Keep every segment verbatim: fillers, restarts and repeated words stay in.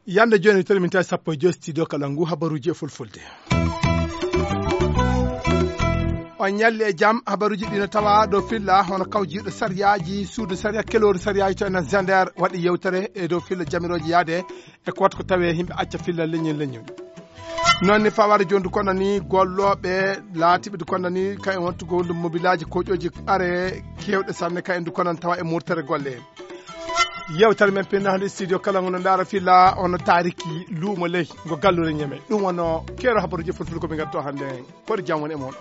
Yande jooni, toon min tawi sappo e joy studio kala ngu habaruuji e fulfulde. On ñalli e jam. Habaruuji ɗi no tawa ɗo filla hono kawjiiɗo sariyaaji, suudu sariya, keloori sariyaaji to enen Zender waɗi yewtere e dow filla jamirooji yaade e ko waɗi ko tawee yimɓe acca filla leñol leñol. Noon ni fawaade jooni kono ni gollooɓe laatiiɓe ɗi kono ni kayen wontugo mobilaaji koƴooji are keewɗe sanne kayen ɗi kono tawa e murtere golle. Yewtere men pinnaande studio kala ngo no ndaara filla ono taariki luumo ley ngo gallure ñeme. Ɗum wonno keero habaruuji fulfulde ko min ngatto hannde. Koɗo jam woni e mon.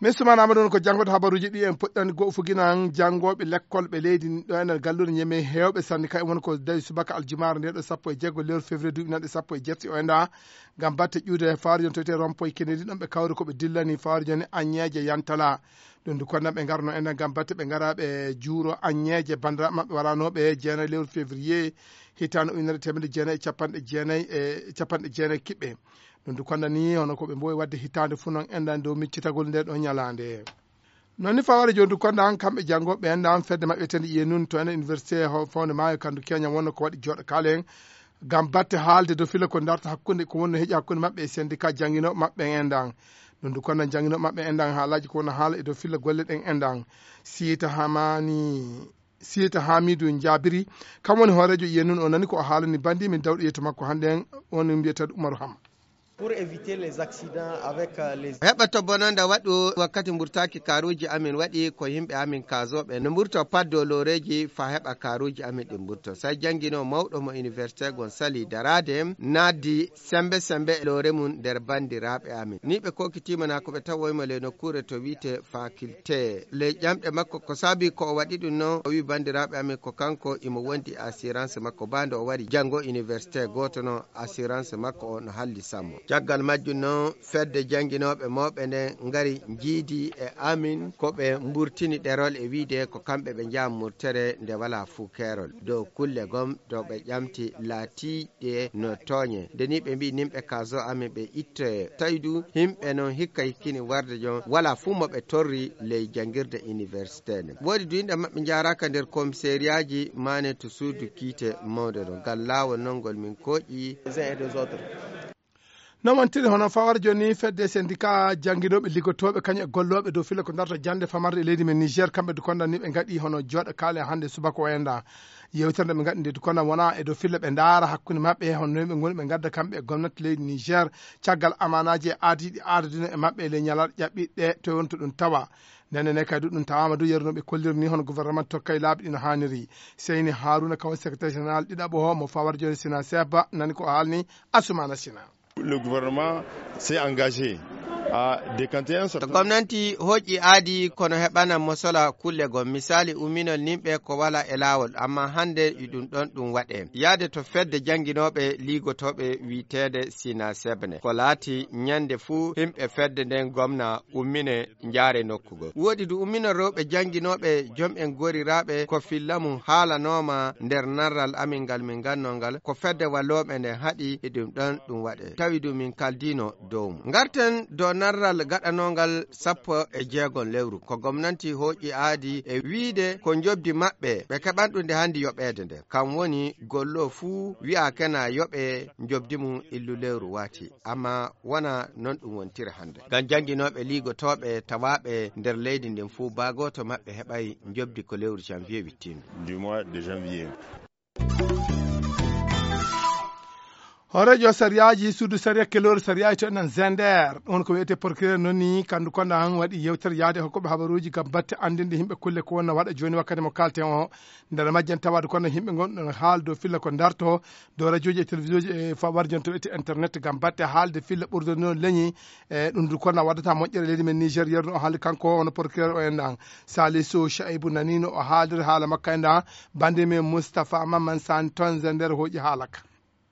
Min sumaana Amadou woni ko janngoto habaruuji ɗi en puɗɗani goo fuginan janngooɓe lekkol ɓe leydi ɗo enen gallure ñeme heewɓe sanne kay woni ko dawi subaka aljumaare nde ɗo sappo e jeego lewru février duuɓi nanɗe sappo e jetti o enda ngam batte ƴuude fawaade jooni to wiyetee rompoy Kennedy ɗon ɓe kawri ko ɓe dillani fawaade jooni aññeeje yantala. Ɗum ndu kono ɓe ngarno enen ngam batte ɓe ngara ɓe juuro aññeeje banndiraaɓe maɓɓe waranooɓe jeenayi lewru février hitaande ujunere teemedde jeenayi e capanɗe jeenayi e capanɗe jeenayi kiɓɓe. Ɗum ndu kono ni hono ko ɓe mbowi waɗde hitaande fof noon enɗan dow miccitagol nde ɗo ñalaande. Noon ni fawaade jooni ndu kono ɗan kamɓe janngo ɓe enɗan fedde maɓɓe wiyetende iye nun to enen université ho- fawde maayo kandu keña wonno ko waɗi jooɗo kaalen ngam batte haalde dow filla ko darta hakkunde ko wonno heƴi hakkunde maɓɓe e syndicat jannginooɓe maɓɓe en enɗan. Ɗum ndu kono jannginooɓe maɓɓe enɗan haalaaji ko wonno haala e dow filla golle ɗen enɗan. Siita Hamani Siita Hamidou Jabiri kam woni hooreejo iye nun o nani ko o haalani bandi min dawɗo yeeto makko hannde en on mbiyetee Umaru Hama. Pour éviter les accidents avec euh, les Heɓa to bononda waɗu wakkati mburtaaki kaaruuji amin waɗi ko yimɓe amin kaazooɓe no mburto paddo looreeji fa heɓa kaaruuji amin ɗi mburto. Say janngino mawɗo mo université gon sali daraade naaddi sembe sembe loore mum nder banndiraaɓe amin. Ni ɓe kokitima na ko ɓe tawoymo le nokkuure to wiite faculté. Ley ƴamɗe makko ko saabi ko o waɗi ɗum noon, o wi banndiraaɓe amin ko kanko imo wondi assurance makko baa nde o wari janngo université gooto noon assurance makko o no halli sammo. Caggal majjum noon fedde jannginooɓe mawɓe nden ngari njiidi e amin ko ɓe mburtini ɗerol e wiide ko kamɓe ɓe njaha murtere nde walaa fuu keerol dow kulle gom to ɓe ƴamti laatii ɗe no tooñe. Nde ni ɓe mbii nimɓe kaazo amin ɓe ittoye. Tawi du himɓe non hikka hikkini warde jon wala fuu mo ɓe torri ley janngirde université nden. Woodi du yimɓe maɓɓe njaaraaka nder komiseriyaaji maane to suudu kiite mawnde non. Ngal laawol non ngol min kooƴi. Non wontiri hono fawar jooni fedde syndicat jannginooɓe liggotooɓe kañum e gollooɓe dow filla ko darta jannde famarde e leydi men Niger kamɓe du konda ni ɓe ngaɗi hono jooɗo kaale hannde subaka o enda. Yewtere nde ɓe ngaɗi nde du konda wona e dow filla ɓe ndaara hakkunde maɓɓe hono noy ɓe ngoni ɓe ngadda kamɓe e gomnati leydi Niger caggal amanaaji e aadiiɗi aadadino e maɓɓe e ley ñalaaɗe ƴaɓɓiɗe to wonto ɗum tawa. Ndenne ne kadi ɗum tawaama du yeru no ɓe kolliri ni hono gouvernement tokkay laabi ɗi no haaniri. Seyni Haruna kawo secrétaire général ɗiɗaɓo o mo fawar jooni Sina Seba nani ko haalni Asumana Sina. Le gouvernement s'est engagé à décanter un certain To gomnanti hoƴƴi aadi kono heɓana mosola kulle gom misali umminol nimɓe ko wala e laawol amma hannde e ɗum ɗon ɗum waɗe yaade to fedde jannginooɓe liigotooɓe wiiteede Sina Sebne ko laati ñande fuu himɓe fedde nden gomna ummine njaare nokku goo. Woodi du ummino rewɓe jannginooɓe jom en goriraaɓe ko filla mum haalanooma nder narral amin ngal min ngannoo ngal ko fedde wallooɓe nden haɗi e ɗum ɗon ɗum waɗe. Tawi du min kaldiino dow mum. Ngarten dow narral gaɗanoongal sappo e jeegom lewru ko gomnanti hooƴi aadi e wiide ko njobdi maɓɓe ɓe keɓan ɗum nde hanndi yoɓeede nde. Kam woni gollo fuu wi'aakena yoɓe njobdi mum illu lewru waati. Amma wona non ɗum wontiri hannde. Ngam jannginooɓe liigotooɓe tawaaɓe nder leydi ndin fuu baa gooto maɓɓe heɓay njobdi ko lewru janvier wittindu. Du mois de janvier. Hooreejo sariyaaji suudu sariya keloore sariyaaji to enen Zender ɗum ko wiyetee procureur noon ni kandu konda han waɗi yewtere yaade hokkuɓe habaruuji ngam batte anndinde yimɓe kulle ko wonno waɗa jooni wakkati mo kalten o. Nder majjan tawaade kono yimɓe ngonɗon haal dow filla ko darto dow radiooji e télévisionji e warjon to wiyetee internet ngam batte haalde filla ɓurdude noon leñi. E ɗum du kono waddata moƴƴere leydi men Niger yerno o haalde kanko woni procureur o en ɗan Salisu Shaibu nanino o haaldir haala makko en ɗan bande men Moustapha Maman San tonze nder hooƴi haala ka.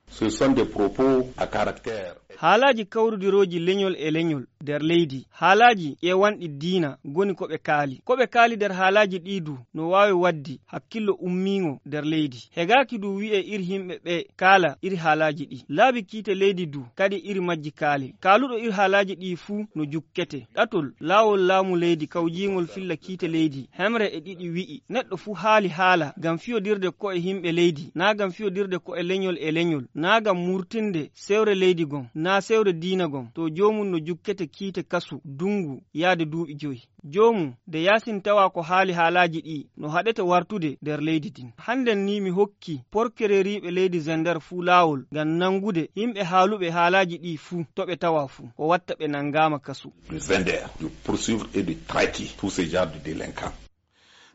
Ce sont des propos à caractère. Haalaaji kawrudirooji leñol e leñol nder leydi, haalaaji ƴeewanɗi diina ngoni ko ɓe kaali. Ko ɓe kaali nder haalaaji ɗii du no waawi waɗde hakkillo ummiiŋo nder leydi. Hegaaki du wi'e iri yimɓe ɓe kaala iri haalaaji ɗii. Laabi kiite leydi du kadi iri majji kaali. Kaaluɗo iri haalaaji ɗii fuu no jukkete. Ɗatol, laawol laamu leydi kawjiingol filla kiite leydi hemre e ɗiɗi wi'i, neɗɗo fuu haali haala ngam fiyodirde ko'e yimɓe leydi, naa ngam fiyodirde ko'e leñol e leñol, naa ngam murtinde sewre leydi gom, naa sewre diina gom, to joomum no jukkete kiite kasu, dunngu, yaade duuɓi joyi. Joomum, de yaasin tawa ko haali haalaaji ɗii no haɗete wartude nder leydi ndin. Hannden ni mi hokki porkereriiɓe leydi Zender fuu laawol ngam nanngude yimɓe haaluɓe haalaaji ɗii fuu to ɓe tawa fuu, o watta ɓe nanngaama kasu. De Zender, de poursuivre et de traquer tous ces genres de délinquants.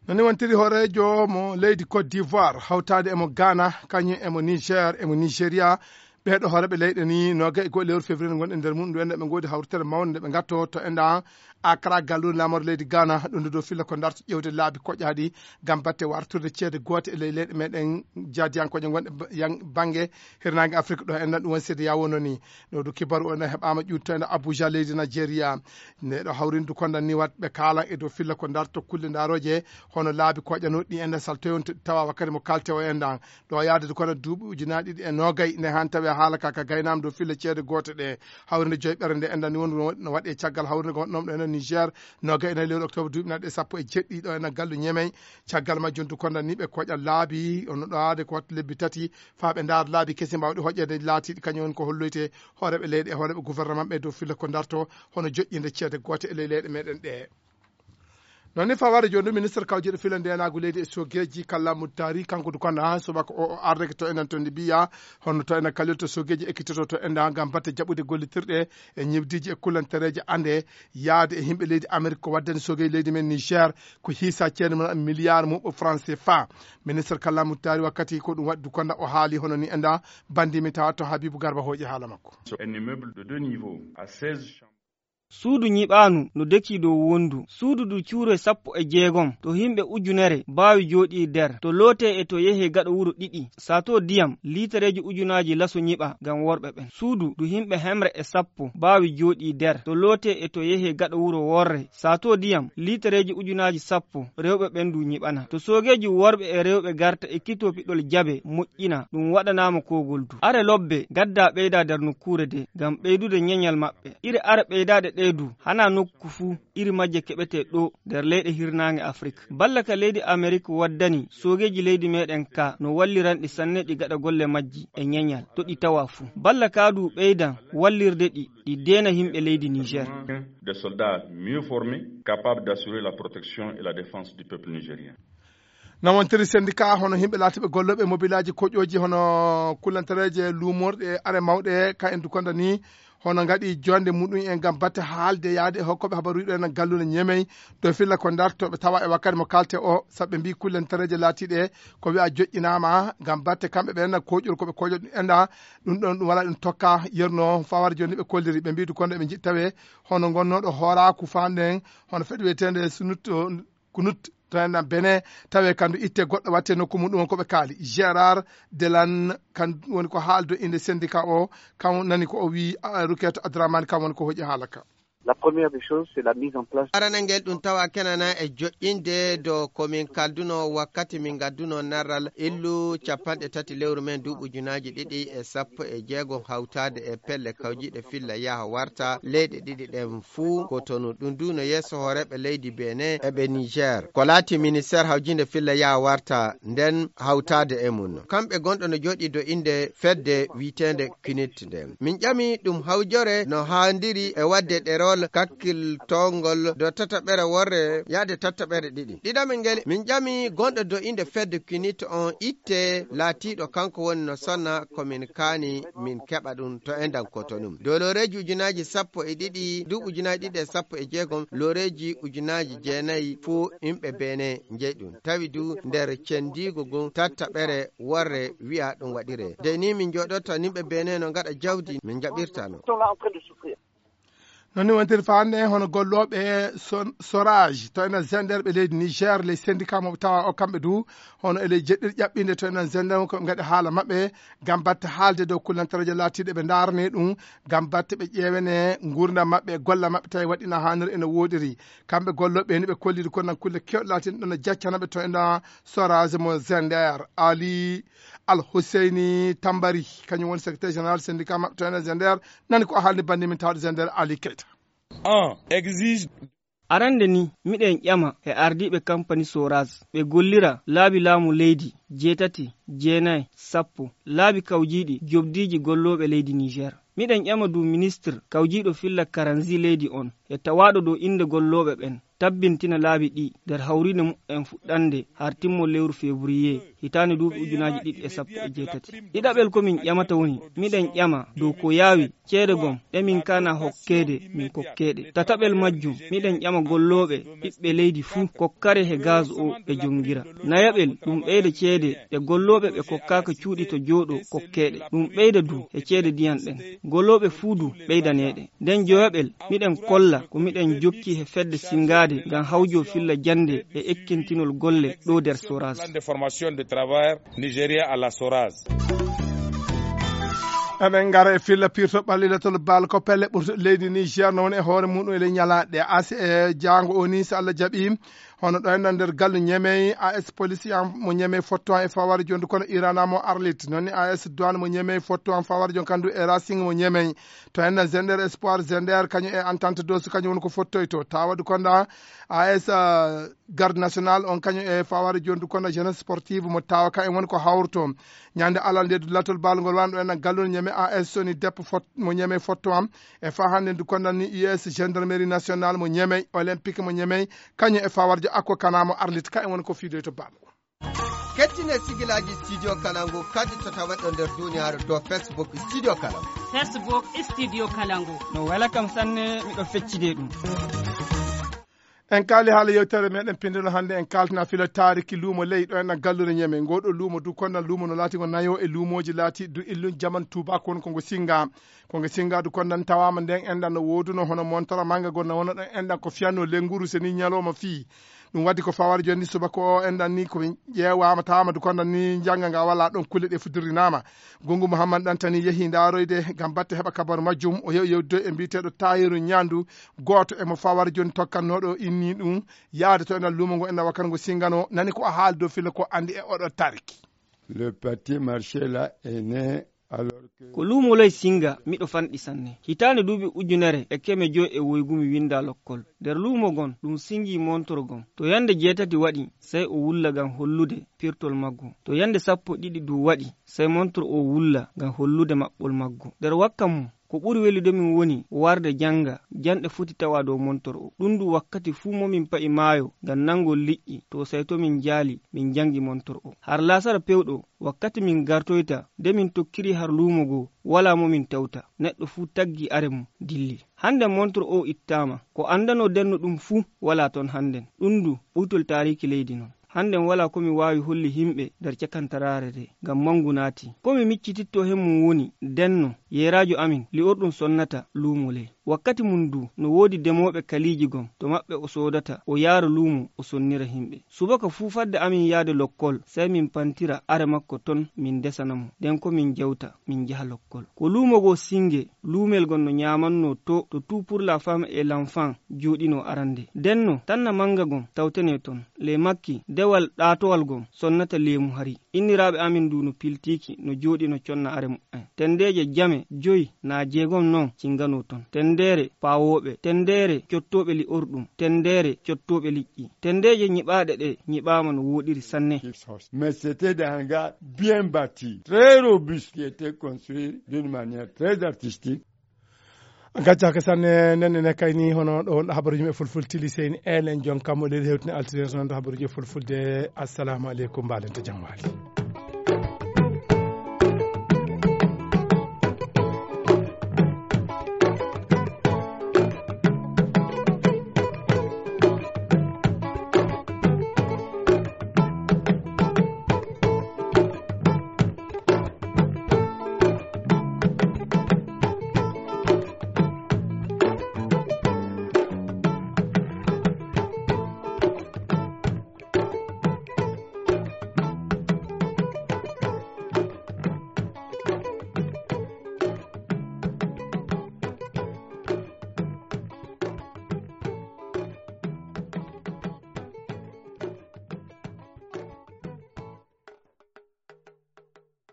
No ni wontiri hooreejo mo leydi Côte d'Ivoire, hawtaade e mo Ghana, kañum e mo Niger, e mo Nigeria. Ɓeeɗo hooreeɓe leyɗe ni, noogay e go'o lewru février ngonɗen nder mum, ndu enen ɓe ngoodi hawritere mawnde nde ɓe ngatto to enɗan Accra, galluure laamorde leydi Ghana, ɗum ndu dow filla ko darto ƴeewde laabi koƴaaɗi ngam batte wartirde ceede goote e ley leyɗe meɗen jaadiyankooje gonɗe ba-, yan-, bannge hirnaange Afrik ɗo enɗan, ɗum woni CEDEAO wonno ni. Ɗo du kibaru o ene heɓaama ƴuutto ene Abuja, leydi Nigeria. Nde ɗo hawrindu konda ni wat ɓe kaalan e dow filla ko darto kulle ndaarooje, hono laabi koƴanooɗi ɗi ene saltoyon tawa wakkati mo kalte o enɗan. Ɗo yaade du kono duuɓi ujunaaji ɗiɗi e noogay nde han tawi haala ka ka gaynaama dow filla ceede goote ɗe. Hawrinde joyɓere nde enɗan ni won no waɗi e caggal hawrinde ko wonɗon ɗo ene Niger, noogay ene lewru octobre duuɓi naɗe sappo e jeɗɗi ɗo ene gallu Ñemey. Caggal majjum du konda ni ɓe koƴa laabi, ono ɗo aade ko watta lebbi tati, faa ɓe ndaara laabi kesi mbaawɗi hoƴƴeede laatiiɗi kañum woni ko holloyte hooreeɓe leyɗe e hooreeɓe gouvernement ɓe dow filla ko darto hono joƴƴinde ceede goote e ley leyɗe meɗen ɗe. Noon ni fawaade jooni ɗo ministre kawjeeɗo filla ndeenaagu leydi e sogeeji Kalla Muttari, kanko du konda subaka o, o ardeke to enen to ndi mbiya hono to enen kalirta sogeeji ekkitoto to enda ngam batte jaɓude gollitirɗe e ñibdiiji e kullantereeje ande yaade e yimɓe leydi Amerik ko waddani sogeeji leydi men Niger ko hiisa ceede mum milliard muɓɓo franc C F A. Ministre Kalla Muttari wakkati ko ɗum waɗi du konda o haali hono ni enda bandi mi tawa to Habibou Garba hooƴi haala makko. Un immeuble de deux niveaux à seize chambres. Suudu ñiɓaanu no dekii dow wondu. Suudu du cuure sappo e jeegom, to yimɓe ujunere mbaawi jooɗii nder, to lootee e to yehee gaɗa wuro ɗiɗi. Sato diyam, liitareeji ujunaaji laso ñiɓa ngam worɓe ɓen. Suudu du yimɓe hemre e sappo mbaawi jooɗii nder, to lootee e to yehee gaɗa wuro worre. Sato diyam, liitareeji ujunaaji sappo, rewɓe ɓen du ñiɓana. To soogeeji worɓe e rewɓe garta e kito piɗol jabe moƴƴina, ɗum waɗanaama koogol du. Are lobbe gaddaa ɓeydaa nder nokkuure de, ngam ɓeydude ñeñal maɓɓe. Iri are ɓeydaaɗe ɗee du, hanaa nokku fuu, iri majje keɓetee ɗoo nder leyɗe hirnaange Afrik. Balla ka leydi Amerik waddani, soogeeji leydi meɗen ka no walliranɗi sanne ɗi gaɗa golle majji e ñeñal, to ɗi tawa fuu. Balla ka du ɓeydan wallirde ɗi, ɗi deena yimɓe leydi Niger. Des soldats mieux formés, capables d'assurer la protection et la défense du peuple nigérien. No wontiri syndicat hono yimɓe laatiiɓe gollooɓe mobilaaji koƴooji hono kullantereeje luumorɗe e are mawɗe ka en dukonda ni, hono ngaɗi jonde muɗum en ngam batte haalde yaade e hokkooɓe habaruuji ɗo en galluure Ñemey dow filla ko ndartooɓe tawa e wakkati mo kalte o, sabu ɓe mbii kullantereeje laatiiɗe ko wi'a joƴƴinaama ngam batte kamɓe ɓen koƴol ko ɓe koƴo ɗum enda, ɗum ɗon ɗum wala ɗum tokka yerno fawar joni ɓe kolliri, ɓe mbii dukonda ɓe jiɗi tawe hono gonnooɗo hooraaku faanden hono fedde wiyeteende sunut kunut to en Benin, tawe kandu itte goɗɗo watte nokku mum, ɗum woni ko ɓe kaali. Gérard Delan kan woni ko haaldo inde syndicat o, kan nani ko o wi, ah, Ruketo Adramani kan woni ko hoƴi haala ka. La première des choses, c'est la mise en place. Aranangel ɗum tawa kenana e joƴƴinde do ko min kalduno wakkati min gadduno narral illu capanɗe tati lewru men duuɓi ujunaaji ɗiɗi e sappo e jeegom hawtaade e pelle kawjiɗe filla yaha warta leyɗe ɗiɗi ɗen fuu Kotonu. Ɗum du no yeeso hooreeɓe leydi Benin e ɓe Niger. Ko laati ministeer hawjinde filla yaha warta nden hawtaade e mum. Kamɓe gonɗo no jooɗii do innde fedde wi'eteende kinit nden. Min ƴami ɗum hawjore no haandiri e waɗde ɗerol kakkiltongol do tataɓere worre yaade tataɓere ɗiɗi. Ɗiɗaɓel ngel min ƴami gonɗo do innde fedde kinit on itte laatiiɗo kanko woni no sonna ko min kaani min keɓa ɗum to endan Kotonu. Dow looreeji ujunaaji sappo e ɗiɗi, duuɓi ujunaaji ɗiɗi e sappo e jeegom, looreeji ujunaaji jeenayi fuu yimɓe Benin njeyi ɗum. Tawi du nder cendiigo ngun tattaɓere worre wi'a ɗum waɗiree. De ni min jooɗoto yimɓe Benin no ngaɗa jawdi min njaɓirta no. Noon ni wontirta hannde hono gollooɓe son- Sorage to enen Zender ɓe leydi Niger, les syndicats mo tawa o kamɓe du hono e ley jeɗɗir ƴaɓɓinde to enen Zender ko ɓe ngaɗi haala maɓɓe ngam batte haalde dow kullantareeje laatiiɗe ɓe ndaarane ɗum ngam batte ɓe ƴeewene nguurndam maɓɓe e golla maɓɓe tawi waɗi na haaniri ene woodiri. Kamɓe gollooɓe ni ɓe kolliri ko nan kulle kewɗe laatiiɗe ɗon no jaccana ɓe to enen Sorage mo Zender. Ali Al Husseini Tambari kañum woni secrétaire général syndicat maɓɓe to enen Zender, nani ko haalni bannde min tawde Zender Ali Keita. Un exige Arande ni miɗen ƴama e ardiiɓe kampani Soraz ɓe gollira laabi laamu leydi jeetati, jeenay, sappo, laabi kawjiiɗi jobdiiji gollooɓe leydi Niger. Miɗen ƴama du ministre kawjiiɗo filla karanzi leydi on e tawaaɗo dow innde gollooɓe ɓen tabbintina laabi ɗii nder hawriinde mu'en fuɗɗande har timmo lewru février hitaande duuɓi ujunaaji ɗiɗi e sappo e jeetati. Ɗiɗaɓel ko min ƴamata woni miɗen ƴama dow ko yaawi ceede gom ɗe min kaana hokkeede min kokkeeɗe. Tataɓel majjum miɗen ƴama gollooɓe ɓiɓɓe leydi fuu kokkare he gaz o ɓe jonngira. Nayaɓel ɗum ɓeyda ceede ɗe gollooɓe ɓe kokkaaka cuuɗi to jooɗo kokkeeɗe. Ɗum ɓeyda du he ceede diyan ɗen gollooɓe fuu du ɓeydaneeɗe. Nden joyaɓel miɗen kolla ko miɗen jokki he fedde singaade ngam hawjo filla jannde e ekkintinol golle ɗo nder Soraz. Eɗen ngara e filla pirto ɓallilatol bal ko pelle ɓurtuɗe leydi Niger no woni e hoore muɗum e ley ñalaaɗe ase e jaango o ni so Allah jaɓi. Hono ɗo enɗan nder gallu ñemey as policier mo ñemey fotto e faware jondu kono irana mo arlit noon ni as douane mo ñemey fotto en faware jon kandu e racing mo ñemey. To enɗan zender espoir zender kañum e entente dosu kañum woni ko fottoyto tawa du konda as garde national on kañum e faware jondu kono jeunesse sportive mo tawa ka en woni ko hawrto. Ñande alal nde du latol bal ngol wanɗo enɗan galluno ñeme as soni deppo fot mo ñeme fotto am e fa hannde ndu kondan ni us gendarmerie national mo ñemey olympique mo ñemey kañum e fawarjo akko kana mo arlit ka en woni ko fiidoy to bal. Kettine sigilaaji studio kalangu kadi to tawaɗo nder duniyaaru dow facebook studio kalangu. Facebook studio kalangu. No wela kam sanne miɗo feccide ɗum. En kaali haala yewtere meɗen pindino hannde en kaltina filo taariki luumo ley ɗo enɗan gallude ñeme ngoɗo luumo du kondan luumo no laati ngo nayo e luumooji laati du illun jaman tuubako won ko ngo singa. Ko ngo singa du kondan tawama nden enɗan no wooduno hono montora manga gonna wona ɗon enɗan ko fiyanno lenguru seni ñalowma fii. Ɗum waddi ko fawar jonni subaka o enɗan ni ko ƴeewama tawama du kondan ni janga nga walla ɗon kulle ɗe fudirinama. Gungu muhammad ɗan tani yeehi ndaroyde ngam batte heɓa kabaru majjum o yew yewdoy e mbiyeteɗo tayiru ñandu gooto e mo fawar joni tokkannooɗo inni ɗum. Yahde to enɗan luumo ngo enɗan wakkati ngo singano nani ko a haali dow filla ko andi e oɗo tarki. Le petit marché là est né alors que ko luumo loy singa miɗo fanɗi sanne hitaande duuɓi ujunere e keme joy e woygu mi winda lokkol. Nder luumo gon ɗum singi montor gon to yande jeetati waɗi sey o wulla ngam hollude pirtol maggo. To yande sappo ɗiɗi du waɗi sey montor o wulla ngam hollude maɓɓol maggo. Nder wakka mum ko ɓuri welude min woni warde jannga janɗe foti tawa dow montor o. Ɗum du wakkati fuu mo min pa'i maayo ngam nanngol liƴƴi to sey to min njaali min njanngi montor o. Har laasara pewɗo wakkati min gartoyta nde min tokkiri har luumo goo walaa mo min tawta. Neɗɗo fuu taggi are mum dilli. Hannden montor o ittaama. Ko anndanoo denno ɗum fuu walaa ton hannden. Ɗum du ɓuytol taariiki leydi non. Hannden walaa ko mi waawi holli himɓe nder cakantaraare de ngam manngu naati. Ko mi miccitittoo he mum woni denno yeeraajo amin li'orɗum sonnata luumo ley. Wakkati mum du no woodi demooɓe kaliiji gom to maɓɓe o soodata o yaara luumo o sonnira himɓe. Subaka fuu fadde amin yahde lokkol sey min pantira are makko ton min ndesana mo nden ko min njewta min njaha lokkol. Ko luumo goo singe luumel gom no ñaamannoo to to tout pour la femme et l'enfant jooɗinoo arande. Denno tanna mannga gom tawtenee ton. Ley makki dewal ɗaatowal gom sonnata leemu hari. Inniraaɓe amin du no piltiiki no jooɗi no conna are muɓɓen. Tenndeeje jame joy naa jeegom non cinganoo ton. Tenndeere paawooɓe, tenndeere cottooɓe li'orɗum, tenndeere cottooɓe liƴƴi. Tenndeeje ñiɓaaɗe ɗe ñiɓaama no wooɗiri sanne. Mais c'était des hangars bien bâtis, très robustes, qui étaient construits d'une manière très artistique. Gaccaaka sanne nen ene kayni hono ɗo wonɗo habaruji men fulful tili seyni elen jon kammo leydi hewtini altine sonande habaruji fulfulde. Assalamu aleykum mbalente jam waali.